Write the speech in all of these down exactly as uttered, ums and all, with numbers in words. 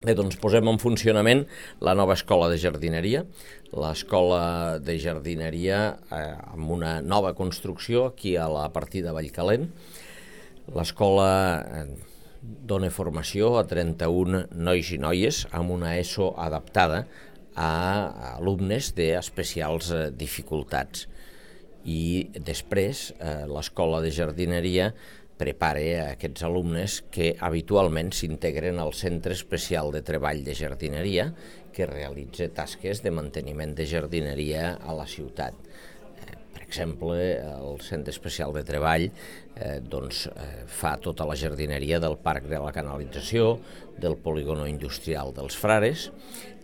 Bé, doncs posem en funcionament la nova escola de jardineria, l'escola de jardineria eh, amb una nova construcció aquí a la partida Vallcalent. L'escola eh, dona formació a trenta-un nois i noies amb una ESO adaptada a alumnes d'especials eh, dificultats. I després eh, l'escola de jardineria prepara a aquests alumnes que habitualment s'integren al Centre Especial de Treball de Jardineria, que realitza tasques de manteniment de jardineria a la ciutat. Eh, per exemple, el Centre Especial de Treball eh, doncs, eh, fa tota la jardineria del Parc de la Canalització, del polígono industrial dels Frares,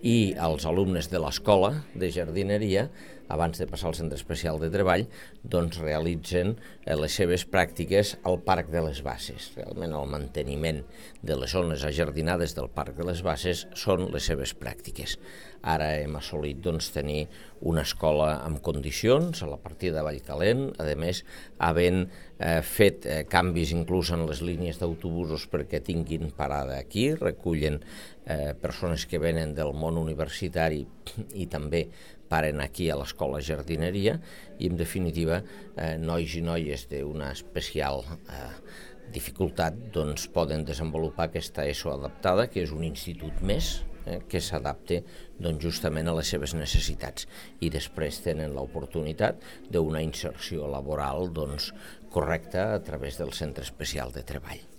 i els alumnes de l'escola de jardineria, abans de passar al Centre Especial de Treball, doncs realitzen eh, les seves pràctiques al Parc de les Basses. Realment el manteniment de les zones ajardinades del Parc de les Basses són les seves pràctiques. Ara hem assolit doncs, tenir una escola amb condicions a la partida de Vallcalent, a més, havent eh, fet eh, canvis inclús en les línies d'autobusos perquè tinguin parada aquí, recullen eh, persones que venen del món universitari i també paren aquí a l'escola jardineria i, en definitiva, eh, nois i noies d'una especial eh, dificultat doncs, poden desenvolupar aquesta ESO adaptada, que és un institut més, eh, que s'adapta doncs, justament a les seves necessitats, i després tenen l'oportunitat d'una inserció laboral doncs, correcta a través del Centre Especial de Treball.